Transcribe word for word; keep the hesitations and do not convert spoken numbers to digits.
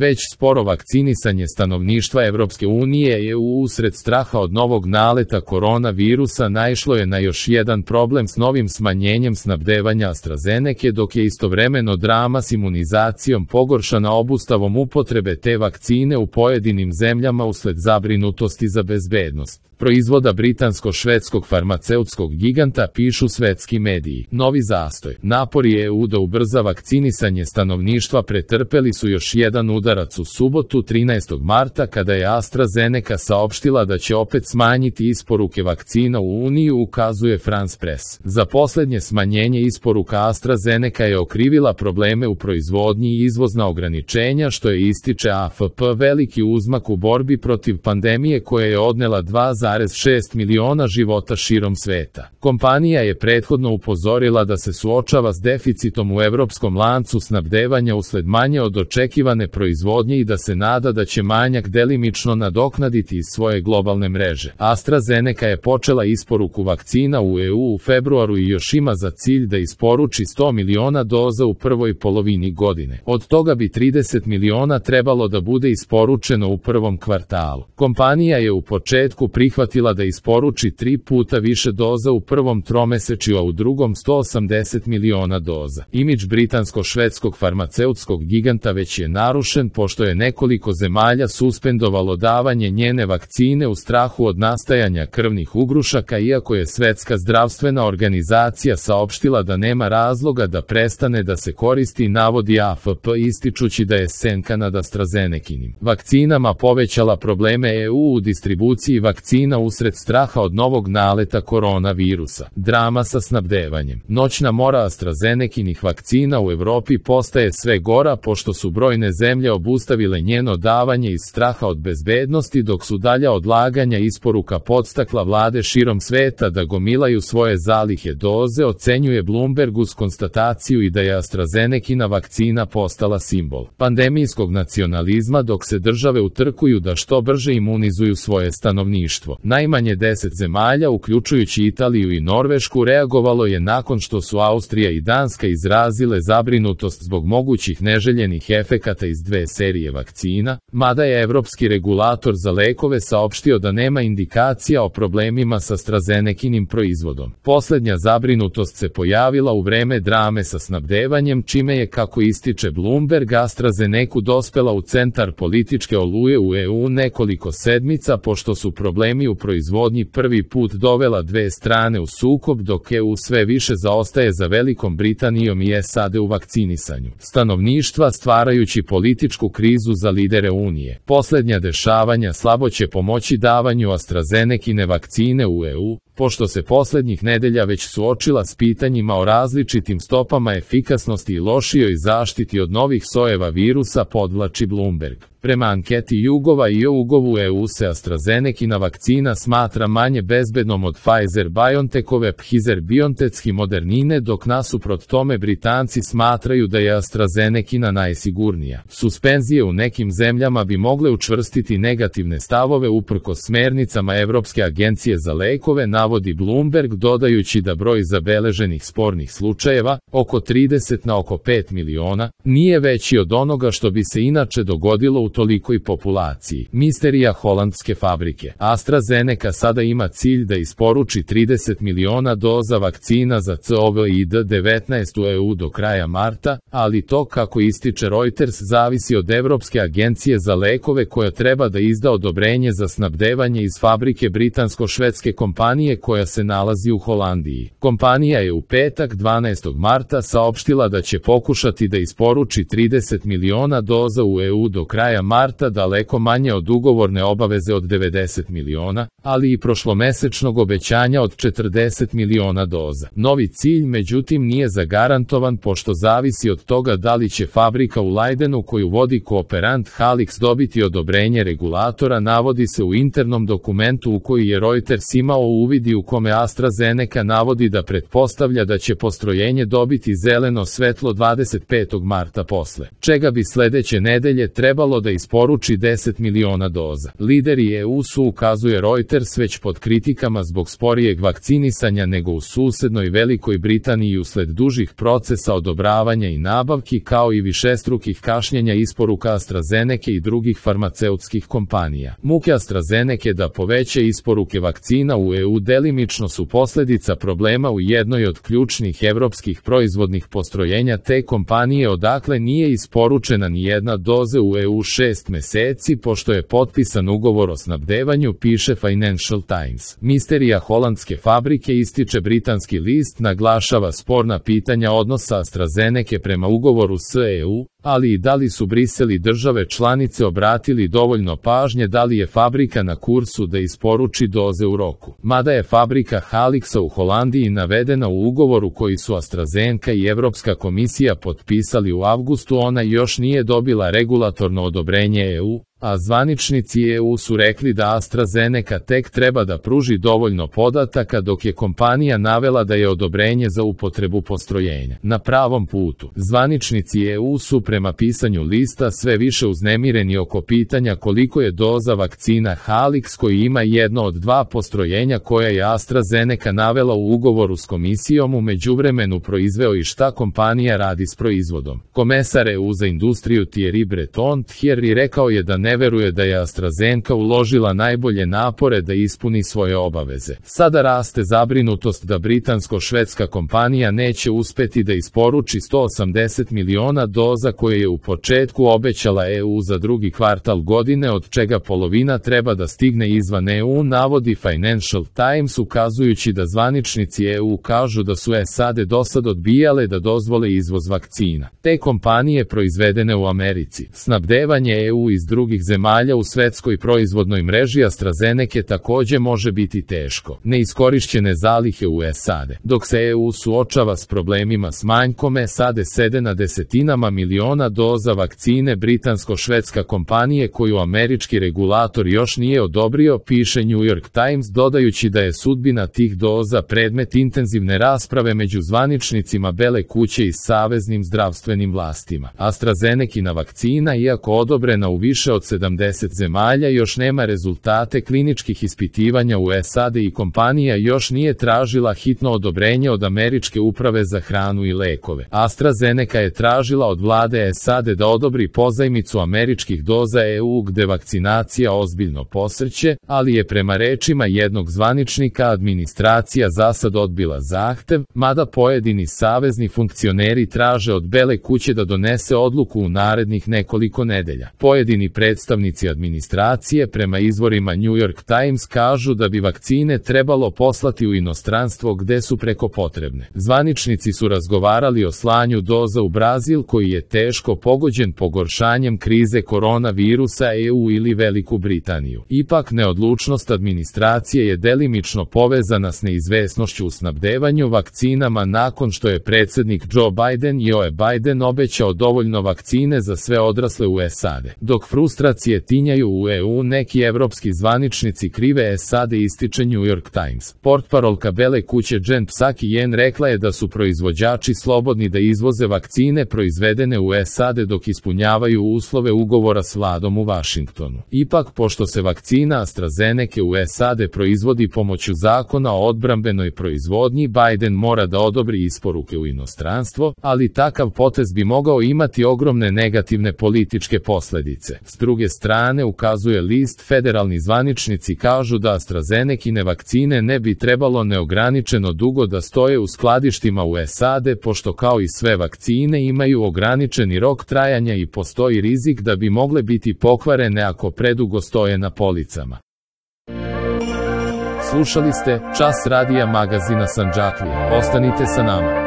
Već sporo vakcinisanje stanovništva Evropske unije je usred straha od novog naleta koronavirusa naišlo je na još jedan problem s novim smanjenjem snabdevanja AstraZeneke, dok je istovremeno drama s imunizacijom pogoršana obustavom upotrebe te vakcine u pojedinim zemljama usled zabrinutosti za bezbednost proizvoda britansko-švedskog farmaceutskog giganta, pišu svetski mediji. Novi zastoj. Napori E U da ubrza vakcinisanje stanovništva pretrpeli su još jedan udarac u subotu trinaestog marta kada je AstraZeneca saopštila da će opet smanjiti isporuke vakcina u Uniju, ukazuje France Press. Za poslednje smanjenje isporuka AstraZeneca je okrivila probleme u proizvodnji i izvozna ograničenja, što je, ističe A F P, veliki uzmak u borbi protiv pandemije koja je odnela dva zarez šest miliona života širom sveta. Kompanija je prethodno upozorila da se suočava s deficitom u evropskom lancu snabdevanja usled manje od očekivane proizvodnje i da se nada da će manjak delimično nadoknaditi iz svoje globalne mreže. AstraZeneca je počela isporuku vakcina u E U u februaru i još ima za cilj da isporuči sto miliona doza u prvoj polovini godine. Od toga bi trideset miliona trebalo da bude isporučeno u prvom kvartalu. Kompanija je u početku prihvatila da isporuči tri puta više doza u prvom tromesečju, a u drugom sto osamdeset miliona doza. Imidž britansko-švedskog farmaceutskog giganta već je narušen pošto je nekoliko zemalja suspendovalo davanje njene vakcine u strahu od nastajanja krvnih ugrušaka, iako je Svetska zdravstvena organizacija saopštila da nema razloga da prestane da se koristi, navodi A F P, ističući da je Senka nad AstraZenekinim vakcinama povećala probleme E U u distribuciji vakcina usred straha od novog naleta koronavirusa. Drama sa snabdevanjem. Noćna mora AstraZenekinih vakcina u Evropi postaje sve gora pošto su brojne zemlje obustavile njeno davanje iz straha od bezbednosti, dok su dalja odlaganja isporuka podstakla vlade širom sveta da gomilaju svoje zalihe doze, ocenjuje Bloomberg uz konstataciju i da je AstraZenekina vakcina postala simbol pandemijskog nacionalizma, dok se države utrkuju da što brže imunizuju svoje stanovništvo. Najmanje deset zemalja, uključujući Italiju i Norvešku, reagovalo je nakon što su Austrija i Danska izrazile zabrinutost zbog mogućih neželjenih efekata iz dve serije vakcina, mada je Evropski regulator za lekove saopštio da nema indikacija o problemima sa AstraZenekinim proizvodom. Poslednja zabrinutost se pojavila u vreme drame sa snabdevanjem, čime je, kako ističe Bloomberg, AstraZenecu dospela u centar političke oluje u E U nekoliko sedmica, pošto su problemi u proizvodnji prvi put dovela dve strane u sukob, dok E U sve više zaostaje za Velikom Britanijom i S A D u vakcinisanju stanovništva, stvarajući političku krizu za lidere Unije. Poslednja dešavanja slabo će pomoći davanju AstraZenekine vakcine u E U, pošto se poslednjih nedelja već suočila s pitanjima o različitim stopama efikasnosti i lošijoj zaštiti od novih sojeva virusa, podvlači Bloomberg. Prema anketi Jugova i Jugovu E U se AstraZenekina vakcina smatra manje bezbednom od Pfizer-BioNTechove Pfizer-BioNTech i Modernine, dok nasuprot tome Britanci smatraju da je AstraZenekina najsigurnija. Suspenzije u nekim zemljama bi mogle učvrstiti negativne stavove uprkos smernicama Evropske agencije za lekove, navodi Bloomberg, dodajući da broj zabeleženih spornih slučajeva, oko trideset na oko pet miliona, nije veći od onoga što bi se inače dogodilo u tolikoj populaciji. Misterija holandske fabrike. AstraZeneca sada ima cilj da isporuči trideset miliona doza vakcina za COVID devetnaest u E U do kraja marta, ali to, kako ističe Reuters, zavisi od Evropske agencije za lekove koja treba da izda odobrenje za snabdevanje iz fabrike britansko-švedske kompanije koja se nalazi u Holandiji. Kompanija je u petak dvanaestog marta saopštila da će pokušati da isporuči trideset miliona doza u E U do kraja marta, daleko manje od ugovorne obaveze od devedeset miliona, ali i prošlomesečnog obećanja od četrdeset miliona doza. Novi cilj, međutim, nije zagarantovan pošto zavisi od toga da li će fabrika u Leidenu koju vodi kooperant Halix dobiti odobrenje regulatora, navodi se u internom dokumentu u koji je Reuters imao uvid medij u kome AstraZeneca navodi da pretpostavlja da će postrojenje dobiti zeleno svetlo dvadeset petog marta posle, čega bi sledeće nedelje trebalo da isporuči deset miliona doza. Lideri E U su, ukazuje Reuters, već pod kritikama zbog sporijeg vakcinisanja nego u susednoj Velikoj Britaniji usled dužih procesa odobravanja i nabavki, kao i višestrukih kašnjenja isporuka AstraZeneca i drugih farmaceutskih kompanija. Muke AstraZeneca da poveće isporuke vakcina u E U delimično su posledica problema u jednoj od ključnih evropskih proizvodnih postrojenja te kompanije, odakle nije isporučena ni jedna doza u E U šest meseci pošto je potpisan ugovor o snabdevanju, piše Financial Times. Misterija holandske fabrike, ističe britanski list, naglašava sporna pitanja odnosa AstraZeneca prema ugovoru s E U, ali i da li su Brisel i države članice obratili dovoljno pažnje da li je fabrika na kursu da isporuči doze u roku. Mada je fabrika Halixa u Holandiji navedena u ugovoru koji su AstraZeneca i Evropska komisija potpisali u avgustu, ona još nije dobila regulatorno odobrenje E U, a zvaničnici E U su rekli da AstraZeneca tek treba da pruži dovoljno podataka, dok je kompanija navela da je odobrenje za upotrebu postrojenja na pravom putu. Zvaničnici E U su prema pisanju lista sve više uznemireni oko pitanja koliko je doza vakcina Halix, koji ima jedno od dva postrojenja koja je AstraZeneca navela u ugovoru s komisijom, u međuvremenu proizveo i šta kompanija radi s proizvodom. Komesar E U za industriju Thierry Breton Thierry rekao je da ne veruje da je AstraZeneca uložila najbolje napore da ispuni svoje obaveze. Sada raste zabrinutost da britansko-švedska kompanija neće uspeti da isporuči sto osamdeset miliona doza koje je u početku obećala E U za drugi kvartal godine, od čega polovina treba da stigne izvan E U, navodi Financial Times, ukazujući da zvaničnici E U kažu da su S A D dosad odbijale da dozvole izvoz vakcina. Te kompanije proizvedene u Americi. Snabdevanje E U iz drugih zemalja u svetskoj proizvodnoj mreži AstraZeneca takođe može biti teško. Neiskorišćene zalihe u S A D. Dok se E U suočava s problemima s manjkom, S A D sede na desetinama miliona doza vakcine britansko-švedska kompanije koju američki regulator još nije odobrio, piše New York Times, dodajući da je sudbina tih doza predmet intenzivne rasprave među zvaničnicima Bele kuće i saveznim zdravstvenim vlastima. AstraZenecina vakcina, iako odobrena u više od sedamdeset zemalja, još nema rezultate kliničkih ispitivanja u S A D i kompanija još nije tražila hitno odobrenje od Američke uprave za hranu i lekove. AstraZeneca je tražila od vlade S A D da odobri pozajmicu američkih doza E U gde vakcinacija ozbiljno posrće, ali je prema rečima jednog zvaničnika administracija zasad odbila zahtev, mada pojedini savezni funkcioneri traže od Bele kuće da donese odluku u narednih nekoliko nedelja. Pojedini predstavnici administracije prema izvorima New York Times kažu da bi vakcine trebalo poslati u inostranstvo gde su preko potrebne. Zvaničnici su razgovarali o slanju doza u Brazil, koji je teško pogođen pogoršanjem krize koronavirusa, E U ili Veliku Britaniju. Ipak neodlučnost administracije je delimično povezana s neizvesnošću u snabdevanju vakcinama nakon što je predsednik Joe Biden Joe Biden obećao dovoljno vakcine za sve odrasle u S A D. Dok frustracije tinjaju u E U, neki evropski zvaničnici krive S A D, ističe New York Times. Portparolka Bele kuće Jen Psaki rekla je da su proizvođači slobodni da izvoze vakcine proizvedene u S A D dok ispunjavaju uslove ugovora s vladom u Vašingtonu. Ipak, pošto se vakcina AstraZeneca u S A D proizvodi pomoću zakona o odbrambenoj proizvodnji, Biden mora da odobri isporuke u inostranstvo, ali takav potez bi mogao imati ogromne negativne političke posledice. S druge strane, ukazuje list, federalni zvaničnici kažu da AstraZenecine vakcine ne bi trebalo neograničeno dugo da stoje u skladištima u S A D, pošto kao i sve vakcine imaju ograničeni rok trajanja i postoji rizik da bi mogle biti pokvarene ako predugo stoje na policama. Slušali ste Čas radija magazina Sandžaklija. Ostanite sa nama.